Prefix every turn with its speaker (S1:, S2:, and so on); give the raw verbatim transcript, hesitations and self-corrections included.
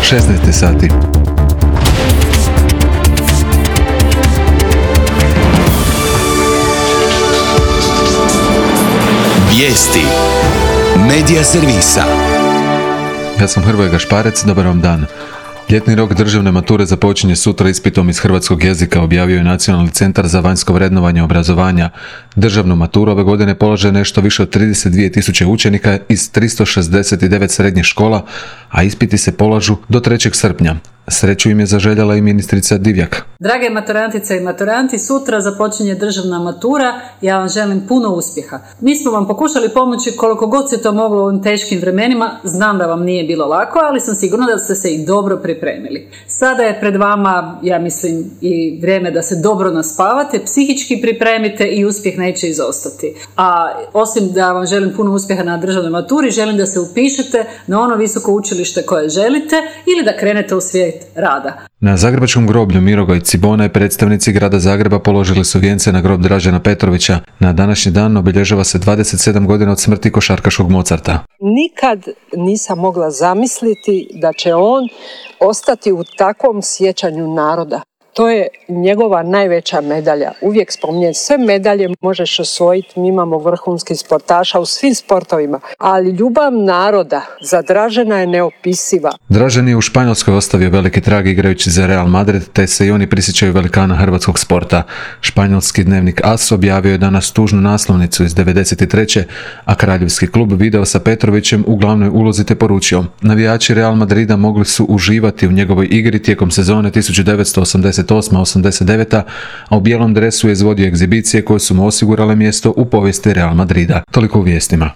S1: šesnaest sati.
S2: Vijesti Medija servisa.
S1: Ja sam Hrvoje Gašparec, dobar vam dan. Ljetni rok državne mature započinje sutra ispitom iz hrvatskog jezika, objavio je Nacionalni centar za vanjsko vrednovanje obrazovanja. Državnu maturu ove godine polaže nešto više od trideset dvije tisuće učenika iz tristo šezdeset devet srednjih škola, a ispiti se polažu do trećeg srpnja. Sreću im je zaželjela i ministrica Divjak.
S3: Drage maturantice i maturanti, sutra započinje državna matura. Ja vam želim puno uspjeha. Mi smo vam pokušali pomoći koliko god se to moglo u ovim teškim vremenima. Znam da vam nije bilo lako, ali sam sigurna da ste se i dobro pripremili. Sada je pred vama, ja mislim, i vrijeme da se dobro naspavate, psihički pripremite i uspjeh neće izostati. A osim da vam želim puno uspjeha na državnoj maturi, želim da se upišete na ono visoko učilište koje želite ili da krenete u svijet rada.
S1: Na zagrebačkom groblju Mirogoj Cibona i predstavnici grada Zagreba položili su vijence na grob Dražena Petrovića. Na današnji dan obilježava se dvadeset sedam godina od smrti košarkaškog Mozarta.
S4: Nikad nisam mogla zamisliti da će on ostati u takvom sjećanju naroda. To je njegova najveća medalja. Uvijek spominjem, sve medalje možeš osvojiti, mi imamo vrhunskih sportaša u svim sportovima, ali ljubav naroda za Dražena je neopisiva.
S1: Dražen je u Španjolskoj ostavio veliki trag igrajući za Real Madrid, te se i oni prisjećaju velikana hrvatskog sporta. Španjolski dnevnik As objavio je danas tužnu naslovnicu iz devedeset treće, a kraljevski klub video sa Petrovićem u glavnoj ulozi te poručio: navijači Real Madrida mogli su uživati u njegovoj igri tijekom sezone tisuću devetsto osamdeset osme osamdeset devete. a u bijelom dresu je izvodio egzibicije koje su mu osigurale mjesto u povijesti Real Madrida. Toliko u vijestima.